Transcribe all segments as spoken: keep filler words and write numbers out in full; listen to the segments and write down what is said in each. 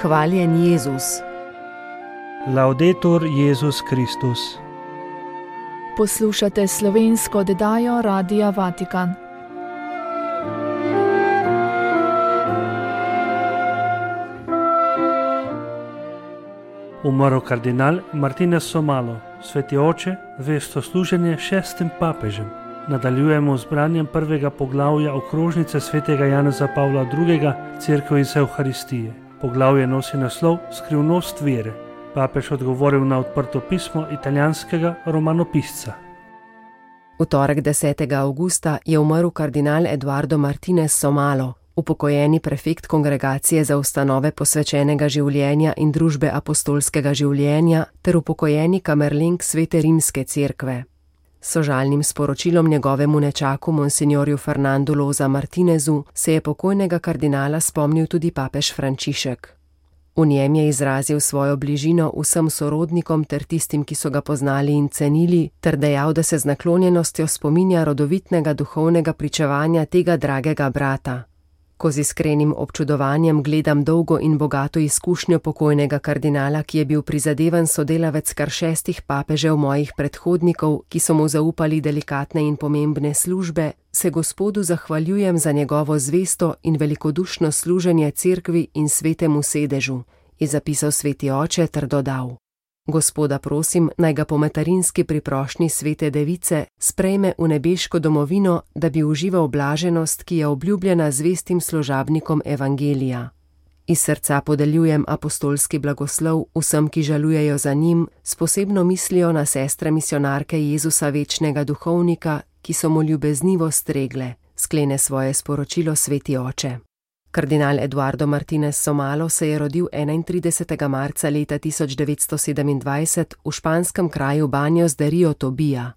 Hvaljen Jezus. Laudetur Jezus Kristus. Poslušate slovensko oddajo Radia Vatikan. Umrl kardinal Martinez Somalo, sveti oče, vestosluženje šestim papežem. Nadaljujemo z branjem prvega poglavja okrožnice svetega Janeza Pavla drugega. Cerkev iz Evharistije. Poglavje nosi naslov Skrivnost vere. Papež odgovoril na odprto pismo italijanskega romanopisca. V torek desetega avgusta je umrl kardinal Eduardo Martinez Somalo, upokojeni prefekt Kongregacije za ustanove posvečenega življenja in družbe apostolskega življenja ter upokojeni kamerlenk Svete rimske cerkve. S sožalnim sporočilom njegovemu nečaku monsignorju Fernandu Loza Martinezu se je pokojnega kardinala spomnil tudi papež Frančišek. V njem je izrazil svojo bližino vsem sorodnikom ter tistim, ki so ga poznali in cenili, ter dejal, da se z naklonjenostjo spominja rodovitnega duhovnega pričevanja tega dragega brata. Ko z iskrenim občudovanjem gledam dolgo in bogato izkušnjo pokojnega kardinala, ki je bil prizadevan sodelavec kar šestih papežev mojih predhodnikov, ki so mu zaupali delikatne in pomembne službe, se Gospodu zahvaljujem za njegovo zvesto in velikodušno služenje cerkvi in svetemu sedežu, je zapisal sveti oče ter dodal: Gospoda prosim, naj ga po materinski priprošnji svete device sprejme v nebeško domovino, da bi užival blaženost, ki je obljubljena zvestim služabnikom evangelija. Iz srca podeljujem apostolski blagoslov vsem, ki žalujejo za njim, s posebno mislijo na sestre misionarke Jezusa večnega duhovnika, ki so mu ljubeznivo stregle, sklene svoje sporočilo sveti oče. Kardinal Eduardo Martinez Somalo se je rodil enaintridesetega marca leta tisoč devetsto sedemindvajset v španskem kraju Baños de Rio Tobija.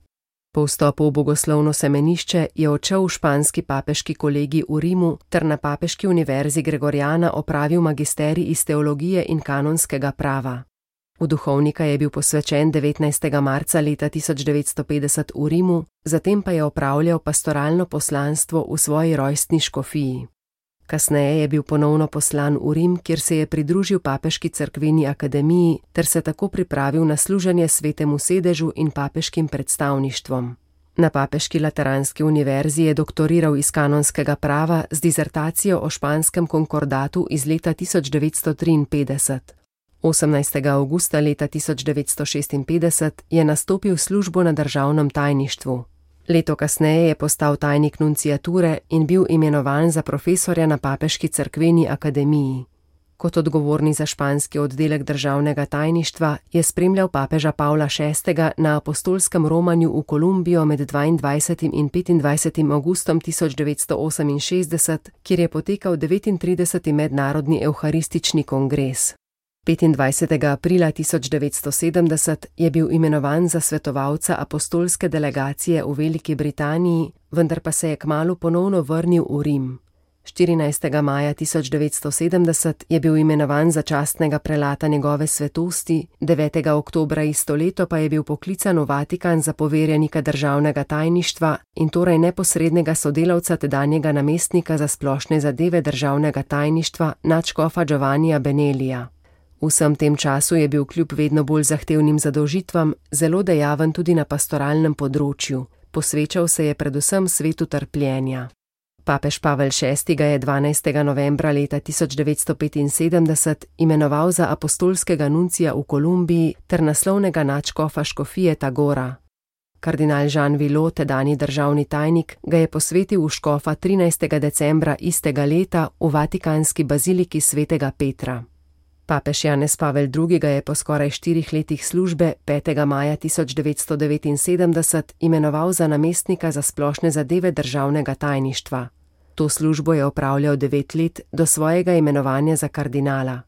Po vstopu v bogoslovno semenišče je odšel v španski papeški kolegij v Rimu ter na papeški univerzi Gregoriana opravil magisterij iz teologije in kanonskega prava. V duhovnika je bil posvečen devetnajstega marca leta tisoč devetsto petdeset v Rimu, zatem pa je opravljal pastoralno poslanstvo v svoji rojstni škofiji. Kasneje je bil ponovno poslan v Rim, kjer se je pridružil papeški cerkveni akademiji ter se tako pripravil na služenje svetemu sedežu in papeškim predstavništvom. Na papeški lateranski univerzi je doktoriral iz kanonskega prava z dizertacijo o španskem konkordatu iz leta tisoč devetsto triinpetdeset. osemnajstega avgusta leta tisoč devetsto šestinpetdeset je nastopil službo na državnem tajništvu. Leto kasneje je postal tajnik nunciature in bil imenovan za profesorja na papeški cerkveni akademiji. Kot odgovorni za španski oddelek državnega tajništva je spremljal papeža Pavla šestega na apostolskem romanju v Kolumbijo med dvaindvajsetim in petindvajsetim avgustom tisoč devetsto oseminšestdeset, kjer je potekal devetintrideseti mednarodni evharistični kongres. petindvajsetega aprila tisoč devetsto sedemdeset je bil imenovan za svetovalca apostolske delegacije v Veliki Britaniji, vendar pa se je kmalu ponovno vrnil v Rim. štirinajstega maja tisoč devetsto sedemdeset je bil imenovan za častnega prelata njegove svetosti, devetega oktobra isto leto pa je bil poklican v Vatikan za poverjenika državnega tajništva in torej neposrednega sodelavca tedanjega namestnika za splošne zadeve državnega tajništva nadškofa Giovannija Benelija. V vsem tem času je bil kljub vedno bolj zahtevnim zadolžitvam zelo dejaven tudi na pastoralnem področju, posvečal se je predvsem svetu trpljenja. Papež Pavel šesti ga je dvanajstega novembra leta tisoč devetsto petinsedemdeset imenoval za apostolskega nuncija v Kolumbiji ter naslovnega nadškofa škofije Tagora. Kardinal Jean Villot, tedanji državni tajnik, ga je posvetil v škofa trinajstega decembra istega leta v vatikanski baziliki svetega Petra. Papež Janez Pavel drugi ga je po skoraj štirih letih službe petega maja tisoč devetsto devetinsedemdeset imenoval za namestnika za splošne zadeve državnega tajništva. To službo je opravljal devet let do svojega imenovanja za kardinala.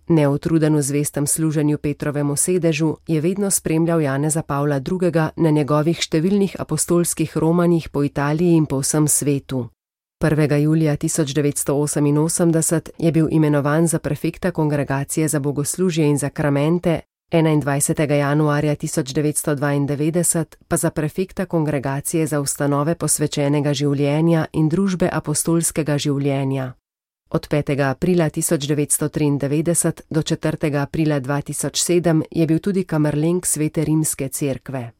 Neutruden v zvestem služenju Petrovemu sedežu je vedno spremljal Janeza Pavla drugega na njegovih številnih apostolskih romanjih po Italiji in po vsem svetu. prvega julija tisoč devetsto oseminosemdeset je bil imenovan za prefekta Kongregacije za bogoslužje in zakramente, enaindvajsetega januarja tisoč devetsto dvaindevetdeset pa za prefekta Kongregacije za ustanove posvečenega življenja in družbe apostolskega življenja. Od petega aprila tisoč devetsto triindevetdeset do četrtega aprila dva tisoč sedem je bil tudi kamerlenk Svete rimske cerkve.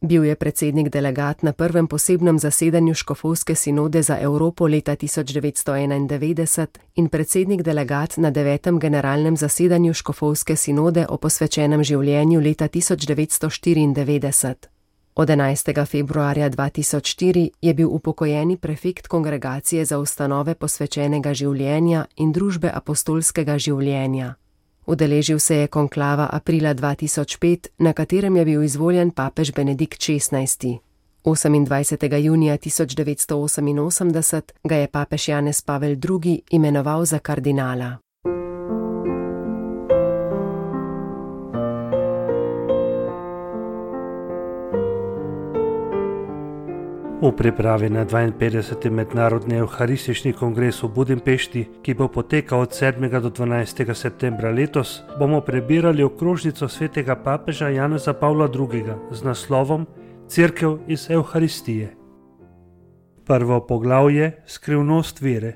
Bil je predsednik delegat na prvem posebnem zasedanju Škofovske sinode za Evropo leta tisoč devetsto enaindevetdeset in predsednik delegat na devetem generalnem zasedanju Škofovske sinode o posvečenem življenju leta tisoč devetsto štiriindevetdeset. Od enajstega februarja dva tisoč štiri je bil upokojeni prefekt Kongregacije za ustanove posvečenega življenja in družbe apostolskega življenja. Udeležil se je konklava aprila dva tisoč pet, na katerem je bil izvoljen papež Benedikt šestnajsti. osemindvajsetega junija tisoč devetsto oseminosemdeset ga je papež Janez Pavel drugi imenoval za kardinala. V pripravi na dvainpetdeseti mednarodni evharistični kongres v Budimpešti, ki bo potekal od sedmega do dvanajstega septembra letos, bomo prebirali okrožnico svetega papeža Janeza Pavla drugega z naslovom Cerkev iz Evharistije. Prvo poglavje Skrivnost vere.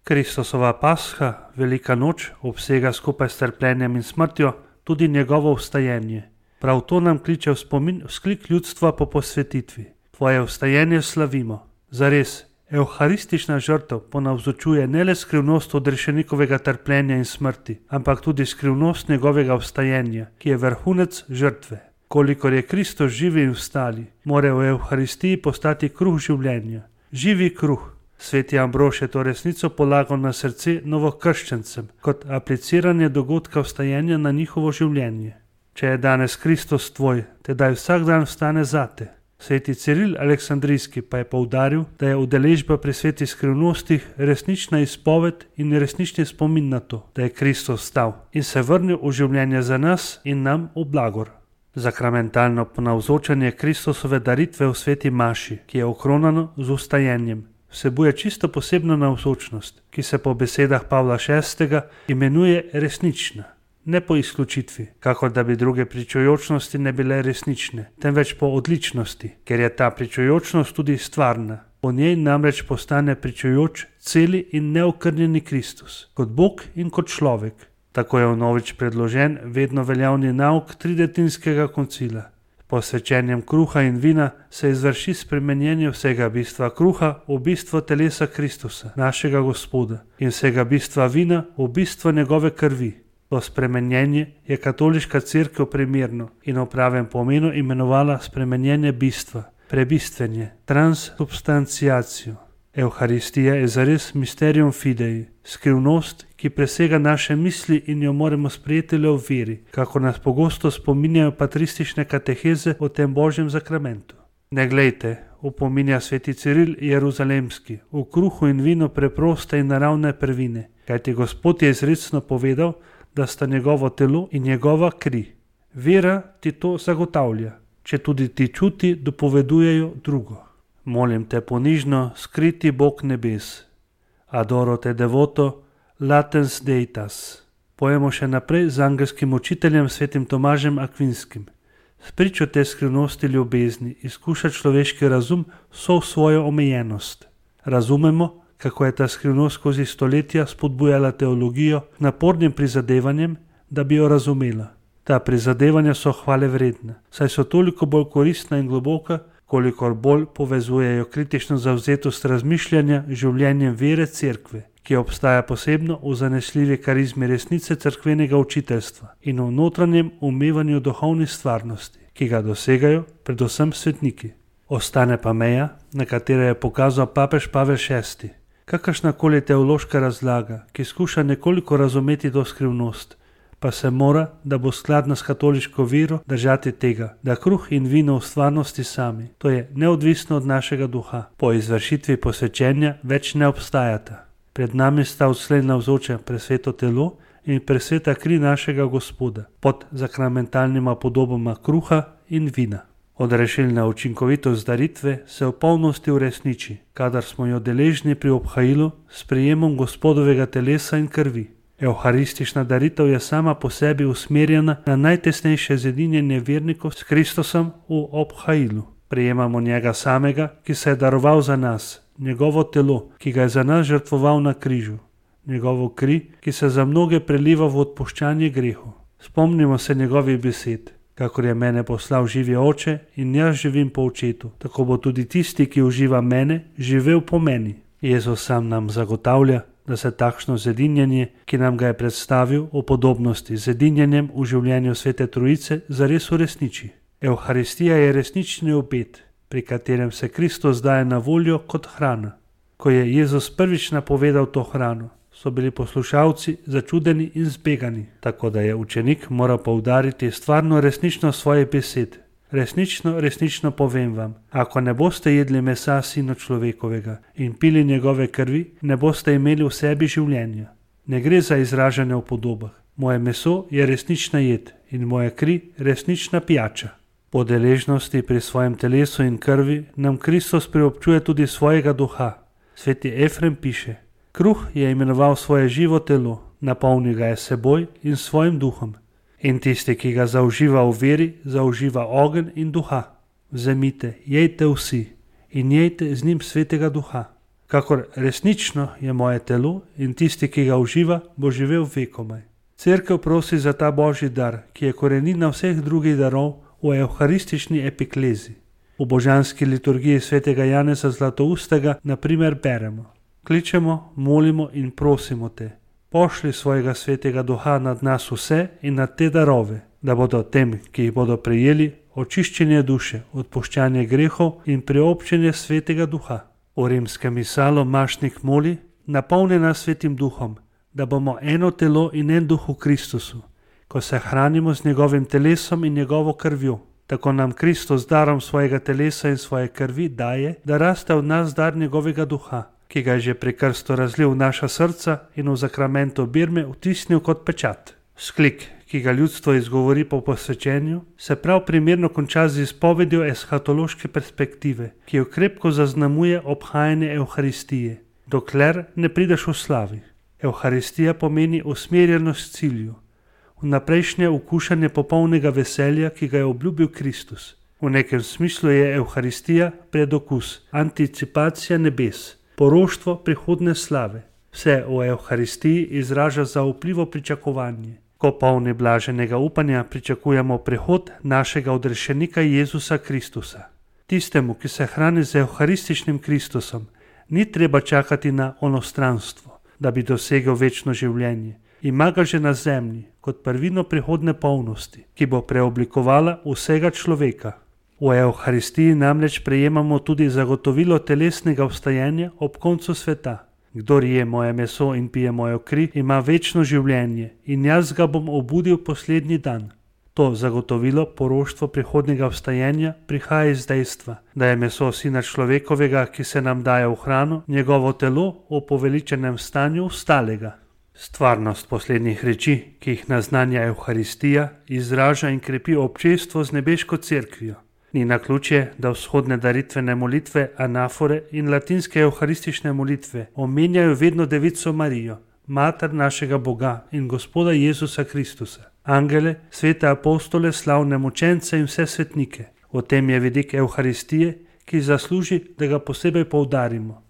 Kristusova pasha, velika noč, obsega skupaj s trpljenjem in smrtjo tudi njegovo vstajenje. Prav to nam kliče v spomin vzklik ljudstva po posvetitvi. Tvoje vstajenje slavimo. Zares, evharistična žrtev ponavzočuje ne le skrivnost odrešenikovega trpljenja in smrti, ampak tudi skrivnost njegovega vstajenja, ki je vrhunec žrtve. Kolikor je Kristus živi in vstali, mora v evharistiji postati kruh življenja. Živi kruh. Sveti Ambrož je to resnico polagal na srce novokrščencem, kot apliciranje dogodka vstajenja na njihovo življenje. Če je danes Kristus tvoj, tedaj vsak dan vstane zate. Sveti Ciril Aleksandrijski pa je poudaril, da je udeležba pri svetih skrivnostih resnična izpoved in resnični spomin na to, da je Kristus vstal in se vrnil v življenje za nas in nam v blagor. Zakramentalno ponavzočanje Kristusove daritve v sveti maši, ki je okronano z vstajenjem, vsebuje čisto posebno navzočnost, ki se po besedah Pavla šestega imenuje resnična. Ne po izključitvi, kakor da bi druge pričujočnosti ne bile resnične, temveč po odličnosti, ker je ta pričujočnost tudi stvarna. Po njej namreč postane pričujoč celi in neokrnjeni Kristus, kot Bog in kot človek. Tako je vnovič predložen vedno veljavni nauk tridetinskega koncila. Po svečenjem kruha in vina se izvrši spremenjenje vsega bistva kruha v bistvo telesa Kristusa, našega Gospoda, in vsega bistva vina v bistvo njegove krvi. To spremenjenje je katoliška cerkev primerno in v pravem pomenu imenovala spremenjenje bistva, prebistvenje, transsubstanciacijo. Evharistija je zares mysterium fidei, skrivnost, ki presega naše misli in jo moramo sprejeti le v veri, kako nas pogosto spominjajo patristične kateheze o tem Božjem zakramentu. Ne glejte, opominja sveti Ciril Jeruzalemski, v kruhu in vinu preproste in naravne prvine, kajti Gospod je izrecno povedal, da sta njegovo telo in njegova kri. Vera ti to zagotavlja, če tudi ti čuti dopovedujejo drugo. Molim te ponižno, skriti Bog nebes. Adoro te devoto, latens deitas. Pojemo še naprej z angelskim učiteljem svetim Tomažem Akvinskim. Spričo te skrivnosti ljubezni izkuša človeški razum vso svojo omejenost. Razumemo, kako je ta skrivnost skozi stoletja spodbujala teologijo napornim prizadevanjem, da bi jo razumela. Ta prizadevanja so hvale vredna, saj so toliko bolj koristna in globoka, kolikor bolj povezujejo kritično zavzetost razmišljanja življenjem vere cerkve, ki obstaja posebno v zanesljivi karizmi resnice cerkvenega učiteljstva in v notranjem umevanju duhovnih stvarnosti, ki ga dosegajo predvsem svetniki. Ostane pa meja, na katero je pokazal papež Pavel šesti. Kakršnakoli teološka razlaga, ki skuša nekoliko razumeti to skrivnost, pa se mora, da bo skladna s katoliško vero, držati tega, da kruh in vino v stvarnosti sami, to je neodvisno od našega duha, po izvršitvi posvečenja več ne obstajata. Pred nami sta odslej navzoča presveto telo in presveta kri našega Gospoda, pod zakramentalnima podobama kruha in vina. Odrešilna učinkovitost daritve se v polnosti uresniči, kadar smo jo deležni pri obhajilu s prijemom Gospodovega telesa in krvi. Evharistična daritev je sama po sebi usmerjena na najtesnejše zedinjenje vernikov s Kristusom v obhajilu. Prijemamo njega samega, ki se je daroval za nas, njegovo telo, ki ga je za nas žrtvoval na križu. njegovo kri, ki se za mnoge preliva v odpuščanje grehu. Spomnimo se njegovih besed. Kakor je mene poslal živi oče in jaz živim po očetu, tako bo tudi tisti, ki uživa mene, živel po meni. Jezus sam nam zagotavlja, da se takšno zedinjenje, ki nam ga je predstavil o podobnosti z zedinjenjem v življenju Svete Trojice, zares uresniči. Evharistija je resnični obet, pri katerem se Kristus daje na voljo kot hrana. Ko je Jezus prvič napovedal to hrano, so bili poslušalci začudeni in zbegani, tako da je učenik moral poudariti stvarno resničnost svojih besed. Resnično, resnično povem vam, ako ne boste jedli mesa Sina človekovega in pili njegove krvi, ne boste imeli v sebi življenja. Ne gre za izražanje v podobah. Moje meso je resnična jed in moja kri resnična pijača. Po deležnosti pri svojem telesu in krvi nam Kristus priobčuje tudi svojega duha. Sveti Efrem piše: kruh je imenoval svoje živo telo, napolnil ga je seboj in svojim duhom. In tisti, ki ga zauživa v veri, zauživa ogenj in duha. Vzemite, jejte vsi in jejte z njim Svetega Duha. Kakor resnično je moje telo in tisti, ki ga uživa, bo živel vekomaj. Cerkev prosi za ta božji dar, ki je korenina vseh drugih darov v evharistični epiklezi. V božanski liturgiji Svetega Janeza Zlatoustega na primer beremo: kličemo, molimo in prosimo te, pošli svojega Svetega Duha nad nas vse in nad te darove, da bodo tem, ki jih bodo prejeli, očiščenje duše, odpuščanje grehov in priobčenje Svetega Duha. V rimskem misalu mašnik moli: napolni nas Svetim Duhom, da bomo eno telo in en duh v Kristusu, ko se hranimo z njegovim telesom in njegovo krvjo. Tako nam Kristus darom svojega telesa in svoje krvi daje, da raste v nas dar njegovega duha, ki ga je že pri krstu razlil v naša srca in v zakramentu birme vtisnil kot pečat. Sklik, ki ga ljudstvo izgovori po posvečenju, se prav primerno konča z izpovedjo eshatološke perspektive, ki jo krepko zaznamuje obhajanje Evharistije, dokler ne prideš v slavi. Evharistija pomeni usmerjenost cilju, vnaprejšnje ukušanje popolnega veselja, ki ga je obljubil Kristus. V nekem smislu je Evharistija predokus, anticipacija nebes, poroštvo prihodne slave. Vse v Evharistiji izraža zaupljivo pričakovanje. Ko polni blaženega upanja pričakujemo prihod našega odrešenika Jezusa Kristusa. Tistemu, ki se hrani z evharističnim Kristusom, ni treba čakati na onostranstvo, da bi dosegel večno življenje. Ima ga že na zemlji, kot prvino prihodne polnosti, ki bo preoblikovala vsega človeka. V Evharistiji namreč prejemamo tudi zagotovilo telesnega vstajenja ob koncu sveta. Kdor je moje meso in pije mojo kri, ima večno življenje in jaz ga bom obudil poslednji dan. To zagotovilo poroštvo prihodnega vstajenja prihaja iz dejstva, da je meso Sina človekovega, ki se nam daje v hrano, njegovo telo v poveličenem stanju vstalega. Stvarnost poslednjih reči, ki jih naznanja Evharistija, izraža in krepi občestvo z nebeško cerkvijo. Ni naključje, da vzhodne daritvene molitve, anafore in latinske evharistične molitve omenjajo vedno Devico Marijo, mater našega Boga in Gospoda Jezusa Kristusa, angele, svete apostole, slavne mučence in vse svetnike. V tem je vidik Evharistije, ki zasluži, da ga posebej poudarimo.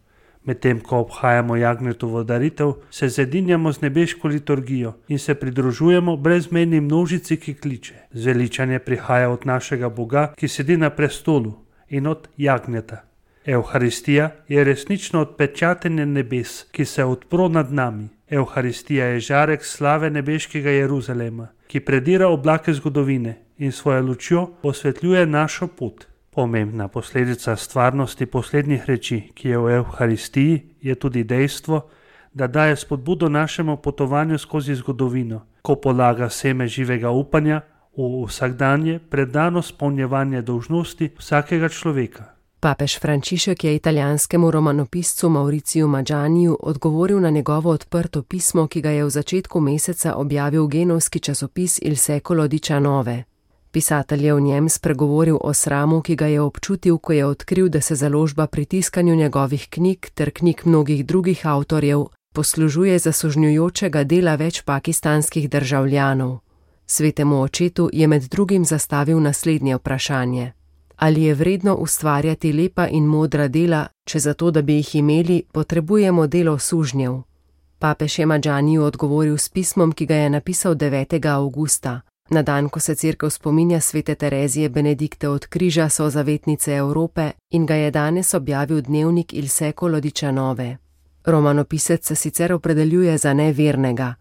Medtem ko obhajamo Jagnjetovo daritev, se zedinjamo z nebeško liturgijo in se pridružujemo brezmejni množici, ki kliče. Zveličanje prihaja od našega Boga, ki sedi na prestolu, in od Jagnjeta. Evharistija je resnično odpečatenje nebes, ki se odpro nad nami. Evharistija je žarek slave nebeškega Jeruzalema, ki predira oblake zgodovine in svojo lučjo osvetljuje našo pot. Pomembna posledica stvarnosti poslednjih reči, ki je v Evharistiji, je tudi dejstvo, da daje spodbudo našemu potovanju skozi zgodovino, ko polaga seme živega upanja v vsakdanje predano spolnjevanje dolžnosti vsakega človeka. Papež Frančišek je italijanskemu romanopiscu Mauriciju Maggianiju odgovoril na njegovo odprto pismo, ki ga je v začetku meseca objavil genovski časopis Il Secolo diciannove. Pisatelj je v njem spregovoril o sramu, ki ga je občutil, ko je odkril, da se založba pri tiskanju njegovih knjig ter knjig mnogih drugih avtorjev poslužuje zasužnjujočega dela več pakistanskih državljanov. Svetemu očetu je med drugim zastavil naslednje vprašanje: ali je vredno ustvarjati lepa in modra dela, če zato, da bi jih imeli, potrebujemo delo sužnjev? Papež je Madžaniju odgovoril s pismom, ki ga je napisal devetega avgusta, na dan, ko se cerkev spominja svete Terezije Benedikte od križa, sozavetnice Evrope, in ga je danes objavil dnevnik Il Secolo diciannove. Romanopisec se sicer opredeljuje za nevernega.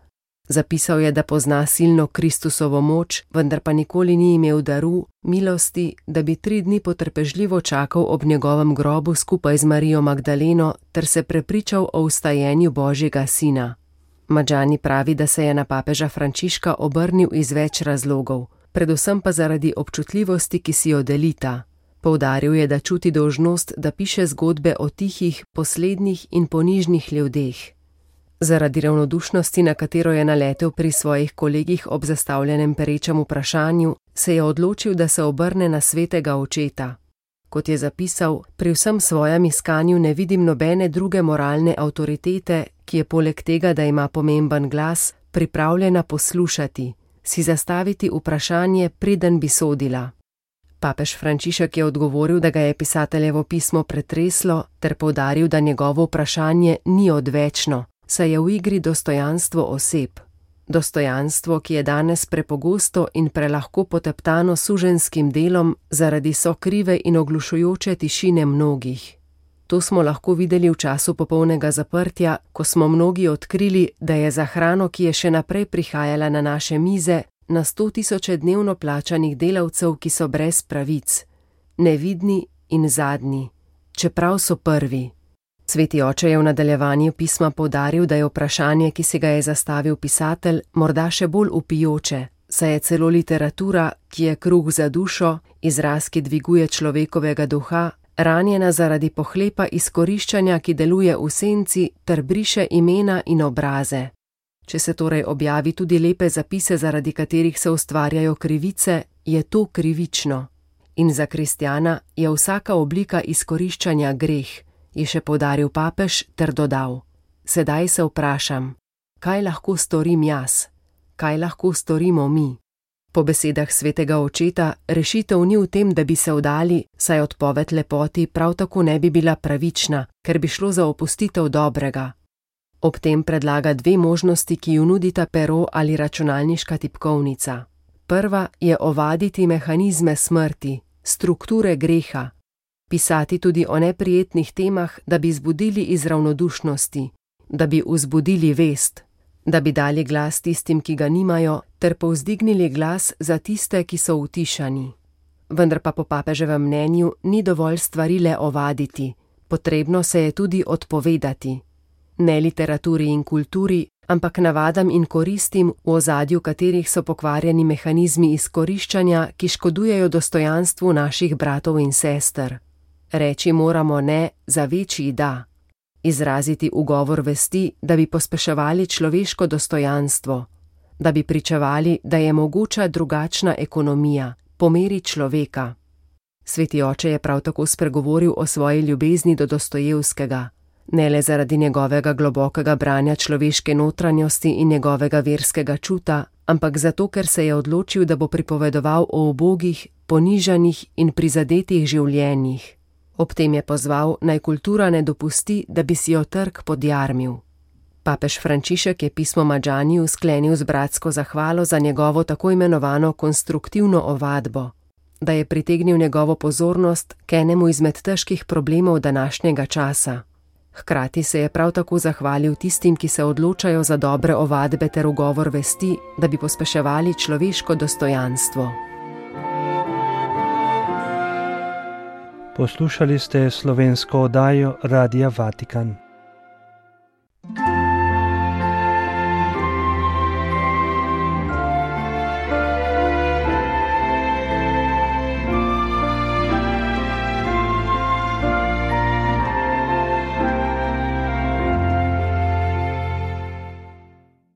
Zapisal je, da pozna silno Kristusovo moč, vendar pa nikoli ni imel daru, milosti, da bi tri dni potrpežljivo čakal ob njegovem grobu skupaj z Marijo Magdaleno ter se prepričal o vstajenju Božjega sina. Madžani pravi, da se je na papeža Frančiška obrnil iz več razlogov, predvsem pa zaradi občutljivosti, ki si jo delita. Poudaril je, da čuti dolžnost, da piše zgodbe o tihih, poslednih in ponižnih ljudeh. Zaradi ravnodušnosti, na katero je naletel pri svojih kolegih ob zastavljenem perečem vprašanju, se je odločil, da se obrne na svetega očeta. Kot je zapisal, pri vsem svojem iskanju ne vidim nobene druge moralne avtoritete, ki je poleg tega, da ima pomemben glas, pripravljena poslušati, si zastaviti vprašanje, preden bi sodila. Papež Frančišek je odgovoril, da ga je pisateljevo pismo pretreslo, ter poudaril, da njegovo vprašanje ni odvečno, saj je v igri dostojanstvo oseb. Dostojanstvo, ki je danes prepogosto in prelahko poteptano suženskim delom zaradi sokrive in oglušujoče tišine mnogih. To smo lahko videli v času popolnega zaprtja, ko smo mnogi odkrili, da je za hrano, ki je še naprej prihajala na naše mize, na sto tisoče dnevno plačanih delavcev, ki so brez pravic, nevidni in zadnji, čeprav so prvi. Sveti oče je v nadaljevanju pisma poudaril, da je vprašanje, ki si ga je zastavil pisatelj, morda še bolj vpijoče, saj je celo literatura, ki je kruh za dušo, izraz, ki dviguje človekovega duha, ranjena zaradi pohlepa izkoriščanja, ki deluje v senci ter briše imena in obraze. Če se torej objavi tudi lepe zapise, zaradi katerih se ustvarjajo krivice, je to krivično. In za kristjana je vsaka oblika izkoriščanja greh, je še poudaril papež ter dodal: sedaj se vprašam, kaj lahko storim jaz, kaj lahko storimo mi. Po besedah svetega očeta, rešitev ni v tem, da bi se vdali, saj odpoved lepoti prav tako ne bi bila pravična, ker bi šlo za opustitev dobrega. Ob tem predlaga dve možnosti, ki ju nudita pero ali računalniška tipkovnica. Prva je ovaditi mehanizme smrti, strukture greha, pisati tudi o neprijetnih temah, da bi zbudili iz ravnodušnosti, da bi vzbudili vest, da bi dali glas tistim, ki ga nimajo, ter povzdignili glas za tiste, ki so utišani. Vendar pa po papeževem mnenju ni dovolj stvari le ovaditi, potrebno se je tudi odpovedati. Ne literaturi in kulturi, ampak navadam in koristim, v ozadju katerih so pokvarjeni mehanizmi izkoriščanja, ki škodujejo dostojanstvu naših bratov in sester. Reči moramo ne za večji da. Izraziti ugovor vesti, da bi pospeševali človeško dostojanstvo, da bi pričevali, da je mogoča drugačna ekonomija, po meri človeka. Sveti oče je prav tako spregovoril o svoji ljubezni do Dostojevskega, ne le zaradi njegovega globokega branja človeške notranjosti in njegovega verskega čuta, ampak zato, ker se je odločil, da bo pripovedoval o ubogih, ponižanih in prizadetih življenjih. Ob tem je pozval, naj kultura ne dopusti, da bi si jo trg podjarmil. Papež Frančišek je pismo Madžaniju sklenil z bratsko zahvalo za njegovo tako imenovano konstruktivno ovadbo, da je pritegnil njegovo pozornost k enemu izmed težkih problemov današnjega časa. Hkrati se je prav tako zahvalil tistim, ki se odločajo za dobre ovadbe ter ugovor vesti, da bi pospeševali človeško dostojanstvo. Poslušali ste slovensko oddajo Radia Vatikan.